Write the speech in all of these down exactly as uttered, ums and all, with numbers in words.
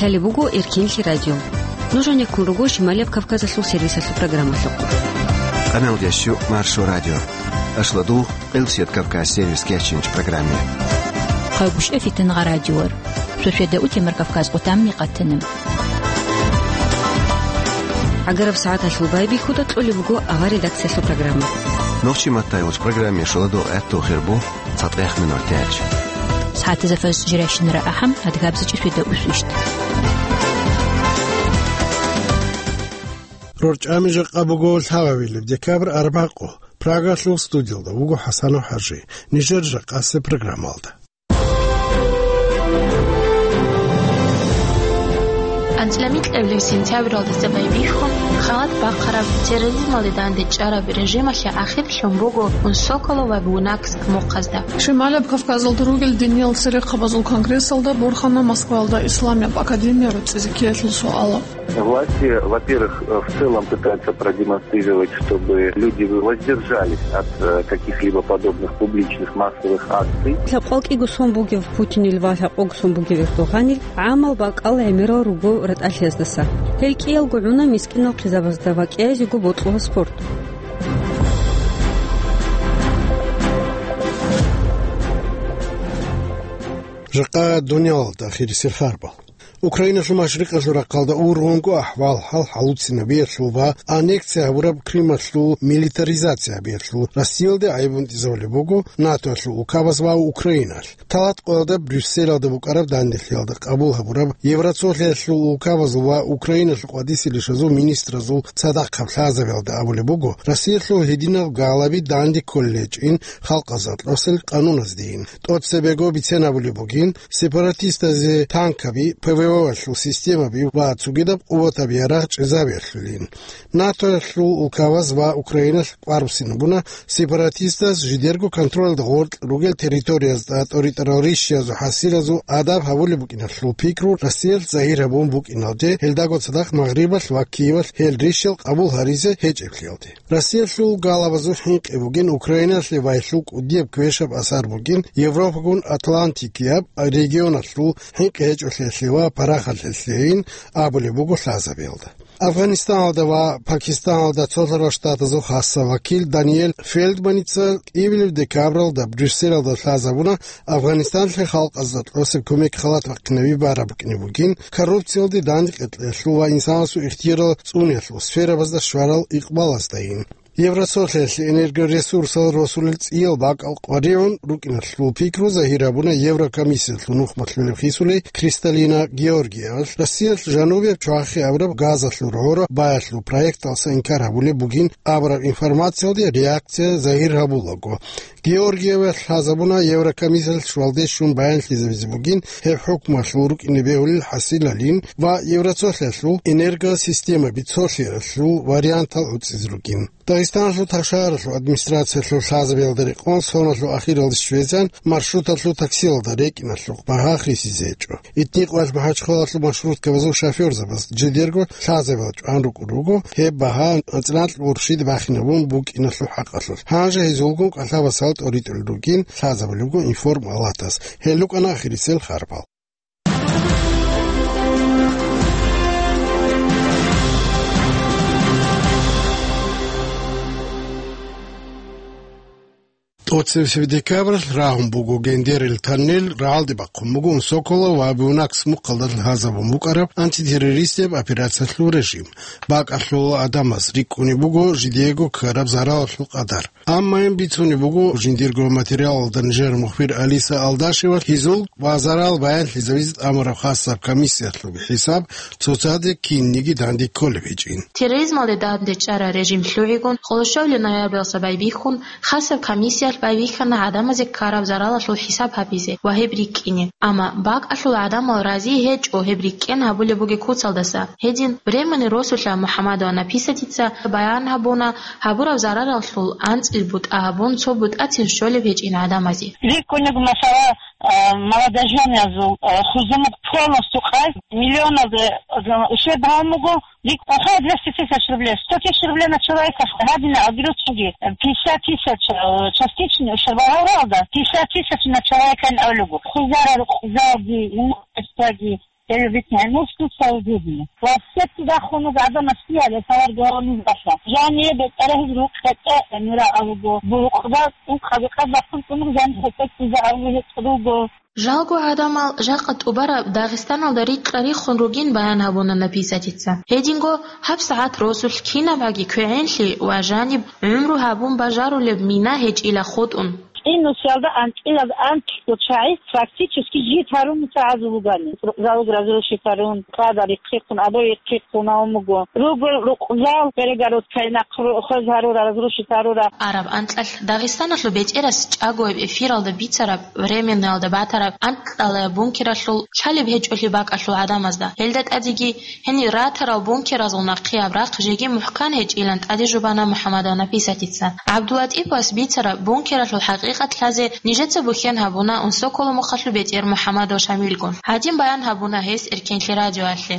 Гьале буго Эркинлъи радио. Нуж гьанеккун руго Шималияб Кавказалъул сервисалъул программалъухъ. Къаналдящу Маршо радио. Ашладугъ, Къилсият Кавказ сервис кечинч программе. Хъайгъушъа фитангъа радиор. Шошеда утемар Кавказ къутамни къатана. Агараб сагӀаталъул байбихьуда кьолеб буго авар редакциялъул программа. Нохчи маттайгъуч программе шуладу гӀатту хирбу. Цадгъех минутач. СагӀатазда фаз жирайщинара ахӀам, адгабзичӀи фида усвищт. РорчӀами жакъа буго лъабабилеб декабрь арбакъу. Прагалъул студиялда вуго ХӀасанов ХӀажи. Нижер жакъасеб программалда. АнцӀила микьабилеб сентябралдаса байбихьун, халат бахъараб терроризмалде данде чӀараб режималъе ахирлъун буго Унсоколо ва Буйнакск мухъазда. Шималаб Кавказалда ругел диниял церехъабазул конгрессалда борхана Москваялда Исламияб академия руцӀцӀизе ккеялъул суалаб. Власти, во-первых, в целом пытаются продемонстрировать, чтобы люди воздержались от, э, каких-либо подобных публичных массовых акций. Лъабкъвал кӀиго сон бугев Путинил ва лъабкъого сон бугев Эрдогъанил гӀамал бакӀал гӀемерал руго ратӀалъияздаса. Гьел кӀиялго гӀуна мискӀинал хъизабазда ва кӀиязего бокьула спорт. Жакъа дуниялалда ахирисел харбал. Украиналъул машрикъалъул рахъалда ургъунго ахӀвал-хӀал хӀалуцинабиялъул ва аннексия гьабураб Крымалъул милитаризация гьабиялъул Россиялде гӀайиб гьунтӀизабулеб буго НАТОялъул улкабаз ва Украиналъ. Талат къоялда Брюсселалда букӀараб данделъиялда къабул гьабураб Евроцолъиялъул улкабазул ва Украиналъул къватӀисел ишазул министразул цадахъаб лъазабиялда абулеб буго, Россиялъул гьединал галаби данде кколел гьечӀин халкъазда кьосел къануназдейин. ТӀоцебего бицен абулеб бугин, сепаратистазе танкаби, ПВО-ялъул системаби ва цогидаб къуватаби ярагъ чӀезабиялъулин. НАТОялъул улкабаз ва Украиналъ кӀвар буссинабуна сепаратистаз жидерго контролалда гъоркь ругел территориязда тӀоритӀарал рищиязул хӀасилазул адаб гьабулеб букӀиналъул пикру Россиялъ загьир гьабун букӀиналде, гьелдаго цадахъ Магърибалъ ва Киевалъ гьел рищал къабул гьаризе гьечӀеблъиялде. Россиялъул галабазул хӀинкъи бугин Украиналъе вайлъул кӀудияб квешаб асар бугин Европагун Атлантикияб регионалъул хӀинкъи гьечӀолъиялъе ва парахалъиялъейин абулеб буго лъазабиялда. Афганистаналда ва Пакистаналда Цолъарал Штатазул хасаб вакил Даниэль Фелдманица кӀиабилеб декабралда Брюсселалда лъазабуна Афганистанлъе халкъазда тӀосеб кумек халат бахъинаби бараб букӀине бугин, коррупциялде данде кьекьеялъул ва инсанасул ихтиярал цӀуниялъул сферабазда щварал икъбалаздайин. Евросолъиялъе энергоресурсал росулел цӀиял бакӀал къваригӀун рукӀиналъул пикру загьир гьабуна Еврокомиссиялъул нухмалъулеб хисулей Кристалина Георгиевалъ. Россиялъ жанубияб чвахи абураб газалъул гӀора баялъул проекталса инкар гьабулеб бугин абураб информациялде реакция загьир гьабулаго. Георгиевалъ лъазабуна Еврокомиссиялъ щвалде щун баянлъизабизе бугин гьеб хӀукмалъул рукӀине бегьулел хӀасилалин ва Евроцолъиялъул энергосистемаби цолъиялъул вариантал гӀуцӀизе ругин. Дагъистаналъул ташаралъул администрациялъул лъазабиялда рекъон соналъул ахиралде щвезан маршруталъул таксиялда рекӀиналъухъ багьа хисизе гьечӀо. Итникъвалъ МахӀачхъалалъул маршруткабазул шофёрзабаз жидерго лъазабиялда чӀван рукӀун руго гьеб багьа анцӀила гӀурщиде бахинабун букӀиналъул хӀакъалъулъ. Гьанже гьезулгун кӀалъабасал тӀоритӀулел ругин лъазабулебго информ-алатас. Гьел рукӀана ахирисел харбал. ТӀоцебесеб декабралъ рагьун буго Гендерил тоннель, рагӀалде бахъун буго Унсоколо ва Буйнакск мухъалда лъазабун букӀараб антитеррористияб операциялъул режим. БакӀалъул гӀадамаз рикӀкӀунеб буго жидеего ккараб заралалъул къадар. Амма гьеб бицунеб буго жиндирго материалалда нижер мухбир Алиса Алдашева, гьезул ва зарал баянлъизабизе тӀамураб хасаб комиссиялъулги хӀисаб цоцаде кинниги данде кколеб гьечӀин. Терроризмалде данде чӀараб режим лъугӀигун, къоло щолел ноябралъа байбихьун, хасаб комиссиялъ байбихьана гӀадамазе ккараб заралалъул хӀисаб гьабизе ва гьеб рикӀкӀине. Амма бакӀалъул гӀадамал рази гьечӀо гьеб рикӀкӀен гьабулеб бугеб куцалдаса. Гьедин, Времени росулъа МухӀаммадова Написатица баян гьабуна, гьабураб зараралъул анцӀил бутӀа гьабун, цо бутӀацин щолеб гьечӀин гӀадамазе. РикӀкӀунеб, масала, а, молодоженязул, а, хӀузумуг полностью къай, миллионаз, а, ущерб гьабун буго, рикӀкӀун хъа двести тысяч рублей, сто тысяч рублей на человека гьадина абиручиги, пятьдесят тысяч, а, частичный ущерб гьабуралда, пятьдесят тысяч на человека абулуго. Хъузарал, хъузаги, имуществоги, Гьеб бицин гӀемер стуцал жугьни. Ва сетти дахун гӀадамас лъияле тавар гаванизбалъа. Жание бетӀерагьиз рукъ гьетӀе гӀемира абуго, бурукъда ункъаби къад бахъун цӀунур жан хӀетӀе ккизе абули гьечӀ руго. Жалго гӀадамал жакъа тӀубараб Дагъистаналда рикьа-риххун ругин баян гьабуна Написатица. Гьединго гьаб сагӀат росулъ кинабаги квегӀенлъи ва жаниб гӀумру гьабун бажарулеб мина гьечӀила хутӀун. КӀинусиялда анцӀила анцӀго чагӀи фактически жит гьарун муса гӀазу бугани. Залуг разрушить гьарун, къада рихъихъун, або рихъихъун гьавун буго. Руго рукъзал перегородкай нахъ хвез гьарура, разрушить гьарура. Араб анкьалъ Дагъистаналъул бетӀерас чӀагояб эфиралда бицараб, временноялда батараб анкьалаяб бункералъул лъалеб гьечӀолъи бакӀалъул гӀадамазда. Гьелда тӀадеги гьенир ратарал бункеразул нахъеяб рахъ жеги мухӀкан гьечӀилан тӀаде жубана МухӀаммадов Написатица. ГӀабдулатӀиповас бицараб бункералъул хӀакъикъат лъазе нижеца бухьен гьабуна Унсоколо мухъалъул бетӀер МухӀаммадов Шамилгун. Гьадин баян гьабуна гьес Эркенлъи радиоялъе.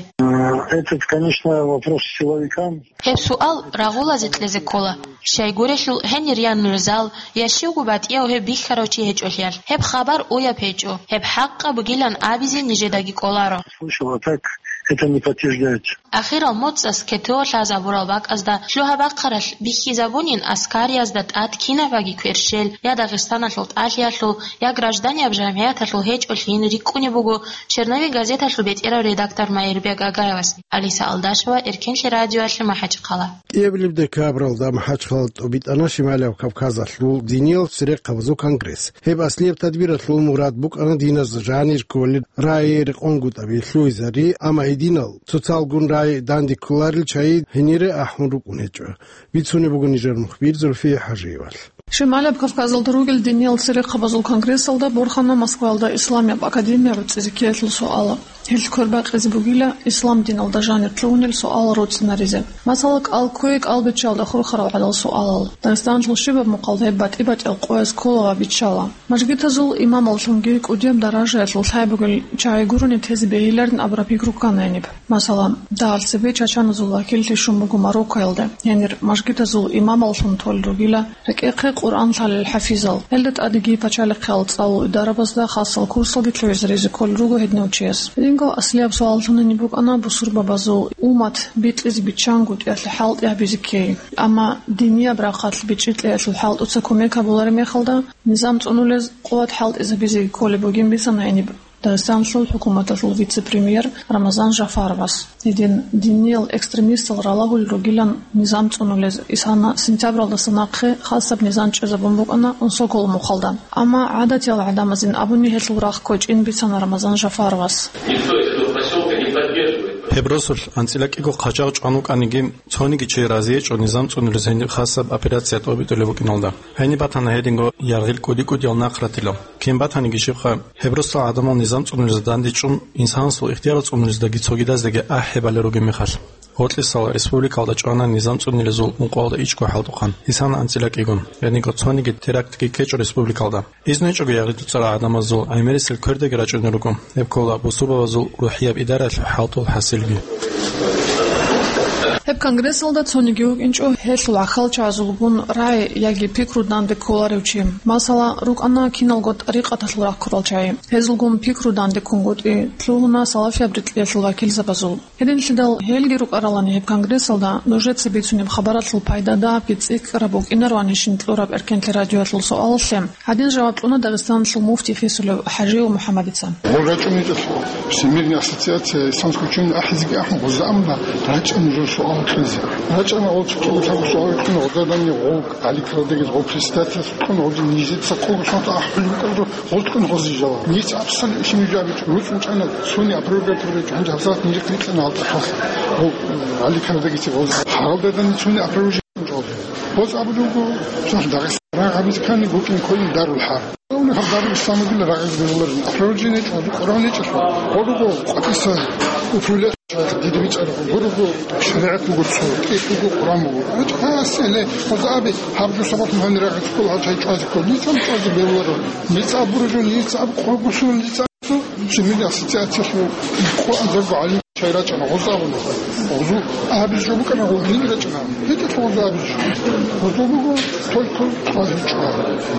Этот, конечно, вопрос силовикам. Гьеб суал рагъулазе кьезе ккола. Щайгурелъул гьенир я нугӀзал, я щивго батӀияв гьеб бихьарав чи гьечӀолъиялъ, гьеб хабар уяб гьечӀо, гьеб хӀакъаб бугилан абизе нижедаги кӀоларо. Слышал, а так это не подтверждается. Ахирал моцӀас КТО лъазабурал бакӀазда лъугьа-бахъаралъ бихьизабунин аскариязда тӀад кинабаги кверщел, я Дагъистаналъул тӀалъиялъул, я гражданияб жамгӀияталъул гьечӀолъин рикӀкӀунеб буго Черновик газеталъул бетӀерав редактор Майирбек Агаевас. Алиса Алдашева, Эркенлъи радиоялъе, МахӀачхъала. КӀиабилеб декабралда МахӀачхъала тӀубитӀана Шималияб Кавказалъул диниял церехъабазул конгресс. Гьеб аслияб тадбиралъул мурад букӀана диназ жанир кколел рагӀи рекъонгутӀаби лъугьизари, амма гьединал цоцалгун рагӀи данде кколарел чагӀи гьенире ахӀун рукӀун гьечӀо. Бицунеб буго нижер мухбир Зульфия ХӀажиевалъ. Шималияб Кавказалда ругел диниял церехъабазул конгрессалда борхана Москваялда Исламияб академия гӀуцӀизе ккеялъул суал. Гьелъ квербакъизе бугила ислам диналда жанир лъугьунел суал руцӀцӀинаризе. Масала, кӀал кквей кӀал биччалда хурхарал гӀадал суалал. Дагъистаналъул щибаб мухъалда гьеб батӀи-батӀиял къояз ккола ва биччала. Мажгитазул имамаллъунги кӀудияб даражаялъул лъай бугел чагӀи гурони тезе бегьиларин абураб пикру ккана гьениб. Масала, дагьал цебе чачаназул вакиллъи щун буго Мароккоялда, гьенир мажгитазул имамаллъун толел ругила рекӀехъе Къуръан лъалел хӀафизал. Гьелда тӀадеги пачалихъиял цӀалул идарабазда хасал курсалги лъугӀизаризе кколел руго гьединав чияс. Гьединго аслияб суал лъугьунеб букӀана бусурбабазул уммат битӀизе биччангутӀиялъе хӀалтӀи гьабизе ккей. Амма динияб рахъалъ бичӀчӀи кьеялъул хӀалтӀуца кумек гьабулареб мехалда, низам цӀунулез къуват хӀалтӀизабизе кколеб бугин бицана гьениб Дагъистаналъул хӀукуматалъул вице-премьер Рамазан Жафаровас. Гьедин диниял экстремистал ралагьулел ругилан низам цӀунулез. Исана сентябралдаса нахъе хасаб низам чӀезабун букӀана Унсоколо мухъалда. Амма гӀадатиял гӀадамазин абуни гьелъул рахъ кквечӀин бицана Рамазан Жафаровас. Никто из этого посёлка не поддерживает. Гьеб росулъ анцӀила кӀиго хъачагъ чӀван вукӀаниги, цониги чи разиечӀо низам цӀунулез гьениб хасаб операция тӀобитӀулеб букӀиналда. Гьениб батана гьединго яргъил кӀуди-кӀудиял нахъратилал. Кин батаниги щибха, гьеб росал гӀадамал низам цӀунулезда дандечӀун, инсанасул ихтияр цӀунулездаги цогидаздаги ахӀи балел ругеб мехалъ. Гъоркьисал республикалда чӀвана низам цӀунулезул ункъоялда ичӀго хӀалтӀухъан, исана анцӀила кӀигун, гьединго цониги терактги ккечӀо республикалда. Изну гьечӀого яргъи цӀуцӀарал гӀадамазул гӀемерисел квердаги рачӀунел руго, гьеб ккола бусурбабазул рухӀияб идараялъул хӀалтӀул хӀасилги. Гьеб конгрессалда цониги вукӀинчӀо гьелъул гӀахьалчагӀазулгун рагӀи яги пикру данде кколарев чи. Масала, рукӀана киналго тӀарикъаталъул рахъ ккурал чагӀи. Гьезулгун пикру данде ккунгутӀи лъугьуна салафияб рикьиялъул вакилзабазул. Гьединлъидал гьелги рукӀаралани гьеб конгрессалда нужеца бицунеб хабаралъул пайда дагьабги цӀикӀкӀараб букӀинароанищин кьураб Эркенлъи радиоялъул суалалъе гьадин жаваб кьуна Дагъистаналъул муфти хисулев ХӀажиев МухӀаммадица. Гъур рачӀунечӀелъул Всемирная ассоциация исламского учения ахӀизеги ахӀун гъоза амма рачӀа нужер суал кьезе. РачӀана гъол цо-цо лъабго суал кьун гъозадани гъол гӀаликрадаги гъол председательас кьун гъоза нижеца кколго сонта ахӀулеб букӀараб гъол кьун гъозие жаваб. Ниж абсолютно ишин жаваб гьечӀо. РуцӀ бучӀана цони опровергать гьабурай гьабзат нижехъе рикьана гьалтӀахъалъ. Гъол гӀаликрадаги гъол гьалдадани цони опровержение Гъоз абулеб буго, цо Дагъиста рагъ гьабизе ккани букӀин кколин Дарул ХӀарб. Гьаб Дарул Исламалда рагъизе бегьуларин. Опровержение гьечӀо, Къуръан гьечӀелъул. Гъорго къватӀиса упрула диде бицӀараб, гъорго шаригӀат буго цо, кӀияб буго Къуръан буго. ГьечӀо, гьасиле, гъоз аби, гьаб жо сабаблъун гьанир рагъизе ккола, гьаб чай чӀвазе ккола. Нижеца чӀвазе бегьуларо. Нижеца абуро жо, нижеца аб къоргусун, нижеца аб цо, Всемирная ассоциация лъу, къо азарго гӀалим. РачӀана гъоза абуна. Гъозу абиз жо букӀана, гъол гьин рачӀана. ГьечӀо гъоза абиз жо. Гъозо буго только базучӀула.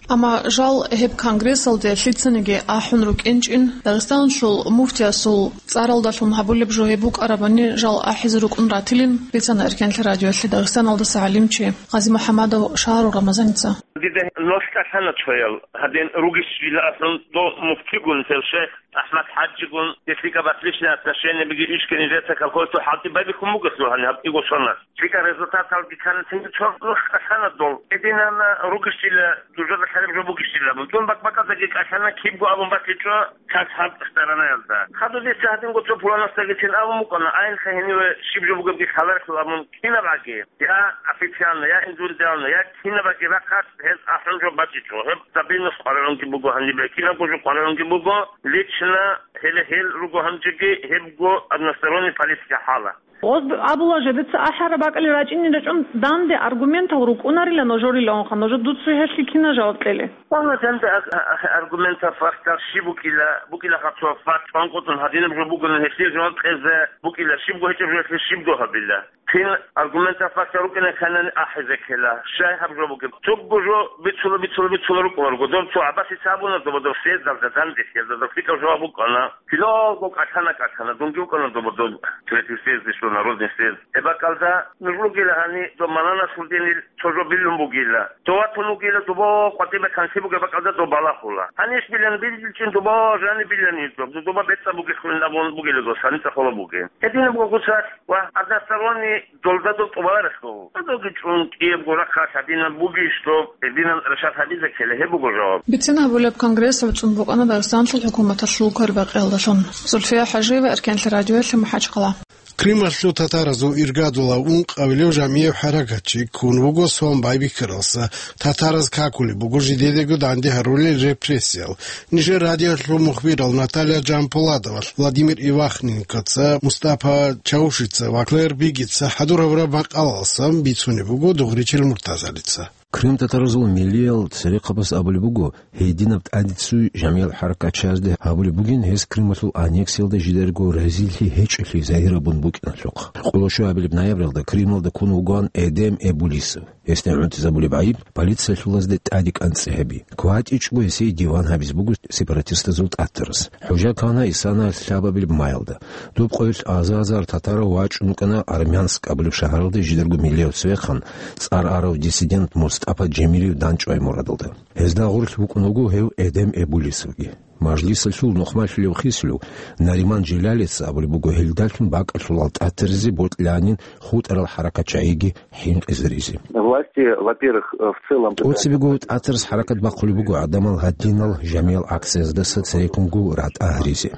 Амма жал гьеб конгрессалде лъицаниги ахӀун рукӀинчӀин, Дагъистаналъул муфтиясул цӀаралдалъун гьабулеб жо гьеб букӀарабани жал ахӀизе рукӀун ратилин, бицана Эркенлъи радиоялъе Дагъистаналдаса гӀалимчи ГъазимухӀаммадов Шагьарул Рамазаница. Дида нолъ кӀалъана цоял, гьадин ругищила аслан дов муфтигун, гьев шейх АхӀмад ХӀажигун, гьелъиги отличные отношения буги, ишкани леса колхозалъул хӀалтӀи байбихьун бугелъул гьаниб гьаб кӀиго соналъ. ЛъикӀал результаталги ккана цинги цо нолъ кӀалъана дол. Гьединана ругищила, дужода лъараб жо бугищила абун. Дун бакӀ-бакӀаздаги кӀалъана кибго абун батичӀо цас гьаб сторонаялда. Хадуб дица гьадинго цо пуланасдагицин абун букӀана, айнха гьениве щиб жо бугебги лъаларелъул абун кинаб аги. Я официально, я индивидуально, я кинабаги рахъалъ гьез ахӀун жо бачӀичӀо. Гьеб стабильность къваригӀунги буго гьанибе, кинабго жо къваригӀунги буго, лично гьеле гьел руго гьанжеги, гьебго односторонний политика хӀала. Гъоз абула жедаца ахӀараб бакӀалде рачӀине рачӀун данде аргументал рукӀунарила ножорилаунха, ножо дуца гьелъи кина жаваб кьеле? Валла, данде ар-, ар-, аргументал фактал щиб букӀила, букӀила хабцо факт, чӀванкъотӀун гьадинаб жо бугони гьелъие жаваб кьезе букӀила, щибго гьечӀеб жо гьелъие щибго гьабила. Кин аргументал фактал рукӀине кканани ахӀизе ккела. Щай гьаб жо бугеб? Цогго жо бицула, бицула, бицула рукӀуна руго. Доб цо гӀабасица абуна, доба доб съездалда данде, съездалда лъикӀаб жаваб букӀана. Киналго кӀалъана, кӀалъана, дунги вукӀана доба доб третий съезд, ишо народный съезд. Гьеб бакӀалда нуж ругила гьани доб Мананалъул динил цо жо билун бугила. Дов ватун вугила, доб къватӀибе канлъи бугеб бакӀалда доб балагьула. Гьаниш билан билчӀин доб жаниб билани доб, доба бецӀаб бугелъулин абун бугила дос, гьаница холо бугин. Гьединаб гогуцалъ ва односторонний долда дол тӀубаларелъул. Додоги чӀун кӀиябго рахъалъ гьадинаб бугищ доб, гьединан решат гьабизе ккела, гьеб буго жаваб. Бицин гьабулеб конгресс гӀуцӀун букӀана Дагъистанлъул хӀукуматалъул квербакъиялдалъун. Зульфия ХӀажиева, Эркенлъи радиоялъе, МахӀачхъала. Крымалъул татаразул иргадулав ункъабилев жамияб хӀаракатчи ккун вуго сон байбихьаралса. Татараз какулеб буго жидедаго данде гьарулел репрессиял. Нижер радиоялъул мухбирал Наталья Джампуладова, Владимир Ивахненкоца, Мустапа Чаушица ва Клэр Бигица хӀадур гьабураб макъалалсан бицунеб буго Дугъричил Муртазалица. Крым татаразул миллиял церехъабаз абулеб буго, гьединаб тӀадицуй жамияб хӀаракатчиязда гьабулеб бугин гьез Крымалъул аннексиялда жидерго разилъи гьечӀолъи загьир абун букӀиналъухъ. Къоло щуабилеб ноябралда Крымалда ккун вугоан Эдем Эбулисов. Гьесда гӀунтӀизабулеб гӀайиб полициялъулазде тӀаде кӀанцӀи гьаби. КватӀичӀго гьесие диван гьабиз буго сепаратистазул тӀатарас. ХӀужа ккана Исана лъабабилеб маялда. Доб къоялъ азар-азар татарав вачӀун вукӀана Армянск абулеб шагьаралде жидерго миллияв цевехъан, цӀар арав диссидент Мустапа Джемилев данчӀвай мурадалда. Гьезда гъорлъ вукӀун вуго гьев Эдем Эбулисовги. Мажлисалъул нухмалъулев хисулев Нариман Желялица абулеб буго, гьелдалъун бакӀалъулал тӀатаризе бокьанин хутӀарал хӀаракатчагӀиги хӀинкъизаризе. Власти, во-первых, э, в целом... ТӀоцебего тӀатарас хӀаракат бахъулеб буго гӀадамал гьадинал жамиял акцияздаса цереккунго ратӀа гьаризе.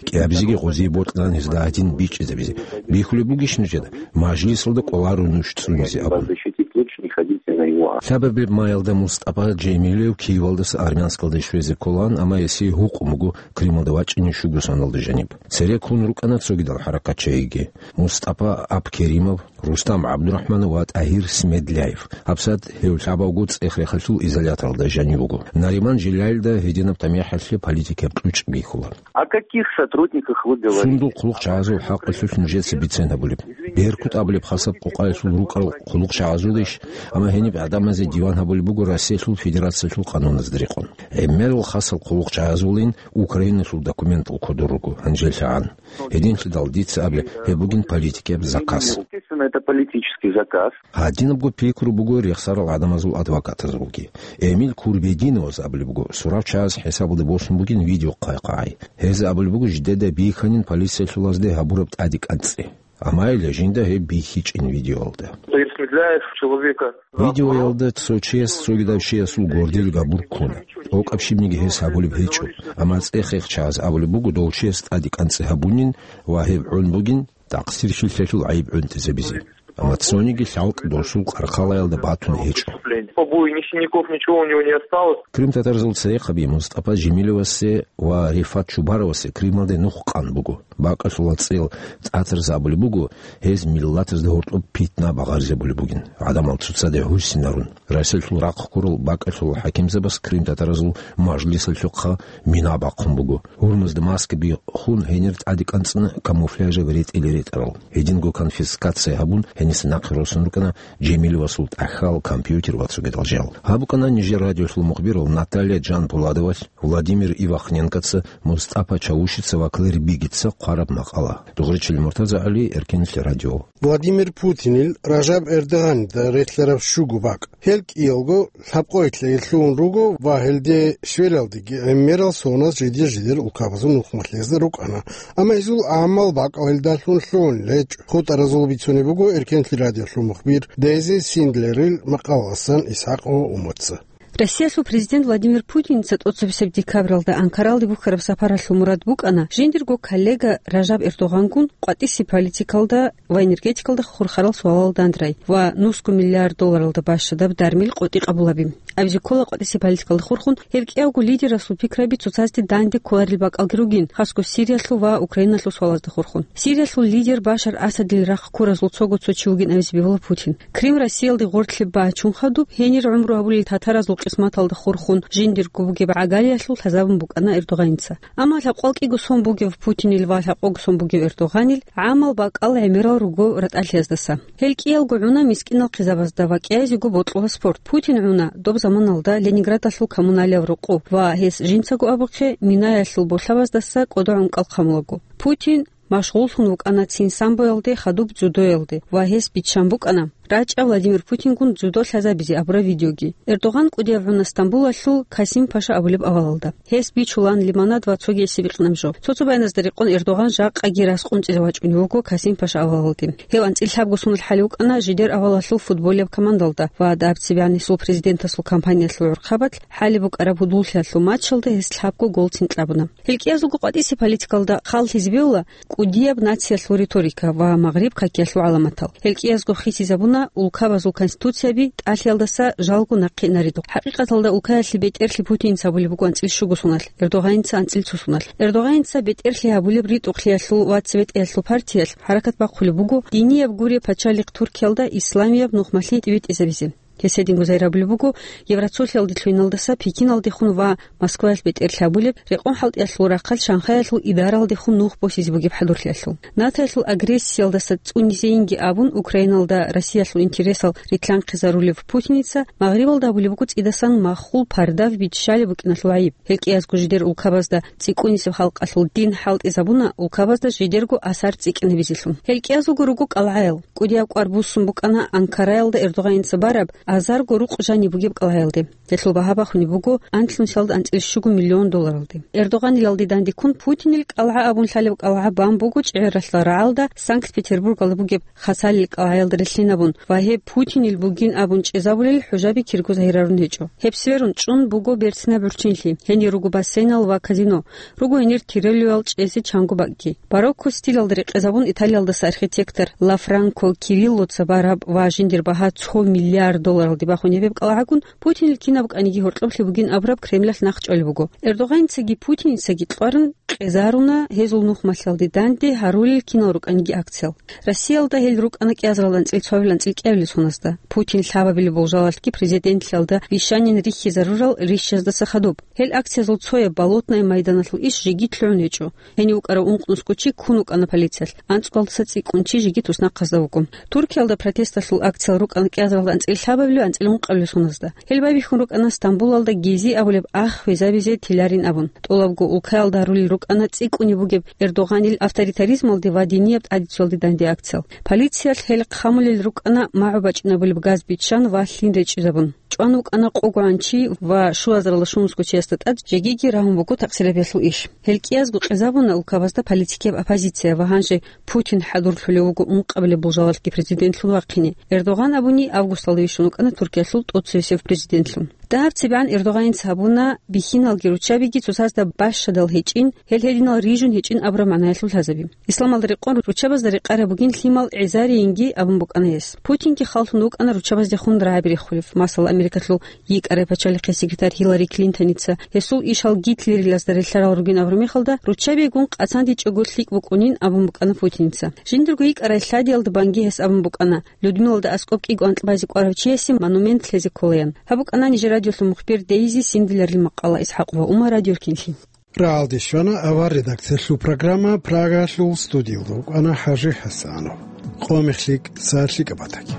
КӀиабизеги гъозие бокьилан гьезда гьадин бичӀчӀизабизе. Бихьулеб бугищ нужеда, мажлисалда кӀоларо нуж цӀунизе абун. Защитить лучше не ходите на его акт. Лъабабилеб маялда Мустапа Джемилев Киевалдаса Армянскалде щвезе кколаан, амма гьесие гьукъун буго Крымалда вачӀине щуго соналда жаниб. Цереккун рукӀана цогидал хӀаракатчагӀиги: Мустапа Абкеримов, Рустам ГӀабдурахӀманов ва ТӀагьир Смедляев. ГьабсагӀат гьев лъабавго цӀех-рехалъул изоляторалда жанив вуго. Нариман Жилялида гьединаб тамихӀалъе политикияб кьучӀ бихьула. О каких сотрудниках вы говорите? Сундул хъулухъчагӀазул хӀакъалъулъ нужеца бицен гьабулеб? Беркут абулеб хасаб къокъаялъул рукӀарал хъулухъчагӀазулищ? Амма гьениб гӀадамазе диван гьабулеб буго Россиялъул Федерациялъул къануназда рекъон. ГӀемерал хасал хъулухъчагӀазулин Украиналъул документал кодор руго гьанжеллъагӀан. Гьединлъидал дица абулеб, гьеб бугин политикияб заказ. Естественно, это политический заказ. Гьадинабго пикру буго рехсарал гӀадамазул адвокатазулги. Эмил Курбединовас абулеб буго, сурав чагӀаз хӀисабалде босун бугин видео хъвай-хъвай. Гьез абулеб буго, жидеда бихьанин полициялъулазде гьабураб тӀаде кӀанцӀи. Амма гьеле жинда гьеб бихьичӀин видеоялда. Пересмедляев человека. Видеоялда цо чияс цогидав чиясул гордил габур ккуна. ТӀокӀаб щибниги гьес гьабулеб гьечӀо. Амма цӀех-рехчагӀаз абулеб буго, дов чияс тӀаде кӀанцӀи гьабунин ва гьеб гӀун бугин такъсир-хьилъиялъул гӀайиб гӀунтӀизабизе. Амма цониги лъалкӀ досул къаркъалаялда батун гьечӀо. По бою ни синяков, ничего у него не осталось. Крымтатарзул церехъаби Мустапа Жемилевасе ва Рифат Чубаровасе Крымалде нух къан буго. Бакъалъула цӀел тӀатарзабулеб буго, гьез миллатазда гьоркьоб питна багъаризабулеб бугин, гӀадамал цоцазде гьурсинарун. Расиялъул рахъ ккурал бакӀалъул хӀакимзабас крымтатаразул мажлисалъухъа мина бахъун буго. Гьурмазда маскаби хун гьенир тӀаде кӀанцӀна камуфляжаб ретӀел ретӀарал. Гьединго конфискация гьабун, гьениса нахъе росун рукӀана Жемилевасул тӀахьал, компьютер ва цогидал жал. Гьаб букӀана нижер радиолъул мухбирал Наталья Джанпуладовалъ, Владимир Ивахненкоца, Мустапа Чавушица ва Клэр Бигица хъвараб макъала. Дугъричил Муртаза ГӀали, Эркенлъи радио. Владимир Путинил Ражаб Эрдогъанида релълъараб щуго бакӀ. Гьел кӀиялго лъабкъоялъе лъугьун руго ва гьелде щвелалдеги гӀемерал соназ жидер-жидер улкабазул нухмалъезда рукӀана. Амма гьезул гӀамал бакӀал гьелдалъун лъугьунел гьечӀо. ХутӀаразул бицунеб буго Эркенлъи радиолъул мухбир Дейзи Синдлерил макъаласан ИсхӀакъ ва Умаца. Россиялъул президент Владимир Путинца тӀоцебесеб декабралда Анкаралде бухьараб сапаралъул мурад букӀана жиндирго коллега Ражаб Эрдогъангун къватӀиси политикалда ва энергетикалда хурхарал суалал дандрай ва нусго миллиард долларалда бащадаб дармил къотӀи къабулаби. Абизе ккола къватӀиси политикалда хурхун гьев кӀиявго лидерасул пикраби цоцазде данде кколарел бакӀалги ругин, хасго Сириялъул ва Украиналъул суалазда хурхун. Сириялъул лидер Башар Асадил рахъ ккуразул цого цо чи вугин абизе бегьула Путин. Крым Россиялде гъорлъе бачун хадуб, гьенир гӀумру гьабулел татаразул къисматалда хурхун жиндирго бугеб гӀагалиялъул лъазабун букӀана Эрдогъаница. Амма лъабкъал кӀиго сон бугев Путинил ва лъабкъого сон бугев Эрдогъанил гӀамал бакӀал гӀемерал руго ратӀалъияздаса. Гьел кӀиялго гӀуна мискӀинал хъизабазда ва кӀиязего бокьула спорт. Путин гӀуна доб заманалда Ленинградалъул коммуналияв рокъоб ва гьес жинцаго абухъе, минаялъул болъабаздаса кӀодо гӀункӀал хъамулаго. Путин машгъуллъун вукӀана цин самбоялде, хадуб дзюдоялде ва гьес биччан букӀана рачӀа Владимир Путингун дзюдо лъазабизе абураб видеоги. Эрдогъан кӀудияб гӀуна Стамбулалъул Касим-Паша абулеб авалалда. Гьес бичулан лимонад ва цогиясе бикьнаб жо. Цо-цо баяназда рекъон Эрдогъан жакъаги раскъунцӀизе вачӀунев вуго Касим-Паша авалалде. Гьев анцӀила лъабго сонал хӀалев вукӀана жидер авалалъул футболияб командалда ва дабциб гӀанисул президентасул кампаниялъул гӀурхъабалъ хӀалеб букӀараб гьудуллъиялъул матчалда гьес лъабго гол цин кьабуна. Гьел кӀиязулго къватӀиси политикалда халлъизе бегьула кӀудияб нациялъул риторика ва Магъриб какиялъул гӀаламатал. Гьел кӀиязго хисизабуна улкабазул конституцияби тӀалъиялдаса жалго нахъе инаридухъ. ХӀакъикъаталда улкаялъе бетӀерлъи Путинца абулеб буго анцӀила щуго соналъ, Эрдогъаница анцӀила цо соналъ. Эрдогъаница бетӀерлъи гьабулеб ритӀухълъиялъул ва цебетӀеялъул партиялъ хӀаракат бахъулеб буго динияб гуреб пачалихъ Туркиялда исламияб нухмалъи тӀибитӀизабизе. Гьес гьединго загьирабулеб буго Евросолиялде лъугьиналдаса Пекиналдехун ва Москваялъ бетӀерлъи гьабулеб, рекъон хӀалтӀиялъул рахъалъ Шанхаялъул идаралдехун нух босизе бугеб хӀадурлъиялъул. НАТОялъул агрессиялдаса цӀунизейинги абун, Украиналда Россиялъул интересал рилълъанхъизарулев Путиница Магърибалда гьабулеб буго цӀидасан маххул пардав биччалеб букӀиналъул гӀайиб. Гьел кӀиязго жидер улкабазда цӀикӀкӀунисеб халкъалъул дин хӀалтӀизабуна улкабазда жидерго асар цӀикӀкӀинабизелъун. Гьел кӀиязулго руго кӀалгӀаял. КӀудияб кӀвар буссун букӀана Анкараялда Эрдогъаница бараб азарго рукъ жаниб бугеб кӀалгӀаялде. Гьелъул багьа бахунеб буго анлънусиялда анцӀила щуго миллион долларалде. Эрдогъанилалде дандеккун Путинил кӀалгӀа абун лъалеб кӀалгӀа бан буго чӀегӀералъа рагӀалда Санкт-Петербургалда бугеб Хасалил кӀалгӀаялда релълъинабун ва гьеб Путинил бугин абун чӀезабулел хӀужаби кирго загьирарун гьечӀо. Гьеб сверун чӀун буго берцинаб гӀурччинлъи, гьенир руго бассейнал ва казино, руго гьенир тиролювал чӀезе чанго бакӀги. Барокко стилалда рекъезабун Италиялдаса архитектор Лафранко Кириллоца бараб ва жиндир багьа цо миллиард долларалде бахунеб гьеб кӀалгӀагун Путинил кинаб букӀаниги гьоркьоблъи бугин абураб Кремлалъ нахъ чӀолеб буго. Эрдогъаницаги Путиницаги кьварун къезаруна гьезул нухмалъиялде данде гьарулел кинал рукӀаниги акциял. Россиялда гьел рукӀана кӀиазаралда анцӀила цоабилеб анцӀила кӀиабилеб соназда. Путин лъабабилеб болжалалъги президентлъиялда вищанин рихьизарурал рищаздаса хадуб. Гьел акциязул цояб Болотное майданалъул иш жеги лъугӀун гьечӀо. Гьенив вукӀарав ункънусго чи ккун вукӀана полициялъ, анцӀгоялдаса цӀикӀкӀун чи жеги туснахъазда вуго. Туркиялда протесталъул акциял рукӀана кӀиазаралда анцӀила лъабабилеб анцӀила ункъабилеб соназда. Гьел байбихьун рукӀана Стамбулалда Гези абулеб ах хвезабизе тиларин абун. ТӀолабго улкаялда гьарулел рукӀана цӀикӀкӀунеб бугеб Эрдогъанил авторитаризмалде ва динияб тӀадицуялде данде акциял. Полициялъ гьел хъамулел рукӀана магӀу бачӀинабулеб газ биччан ва лъим речӀчӀизабун. ЧӀван вукӀана къогогӀан чи ва щуазаралда щунусго чиясда тӀад жегиги рагьун буго такъсириябиялъул иш. Гьел кӀиязго къизабуна улкабазда политикияб оппозиция ва гьанже Путин хӀадурлъулев вуго ункъабилеб болжалалъги президентлъун вахъине. Эрдоган абуни августалда вищун вукӀана Туркиялъул тӀоцевесев президентлъун. Дагьаб цебегӀан Эрдоганица гьабуна бихьиналги руччабиги цоцазда бащадал гьечӀин, гьел гьединал рижун гьечӀин абураб магӀнаялъул лъазаби. Исламалда рекъон руччабазда рекъараб бугин лъимал гӀезарийинги абун букӀана гьес. Путинги халлъун вукӀана руччабаздехун рагӀаби рехулев, масала, Америкалъул йикӀарай пачалихъе секретарь Хиллари Клинтоница, гьесул ишал Гитлерилазда релълъарал ругин абураб мехалда, руччабигун къацандичӀого лъикӀ букӀунин абун букӀана Путиница. Жиндирго йикӀарай лъадиялда банги гьес абун букӀана, Людмилалда аскӀоб кӀиго анкьбазе кӀварав чиясе монумент лъезе кколаян. Гьаб букӀана нижер радиолъул мухбир Дейзи Синдилерил макъала. ИсхӀакъ ва Умар, Радио Рукинлъи. Рагьалде щвана авар редакциялъул программа, Прагалъул студиялда вукӀана ХӀажи ХӀасанов. Къо мехлъи, са лъикӀаб батаги.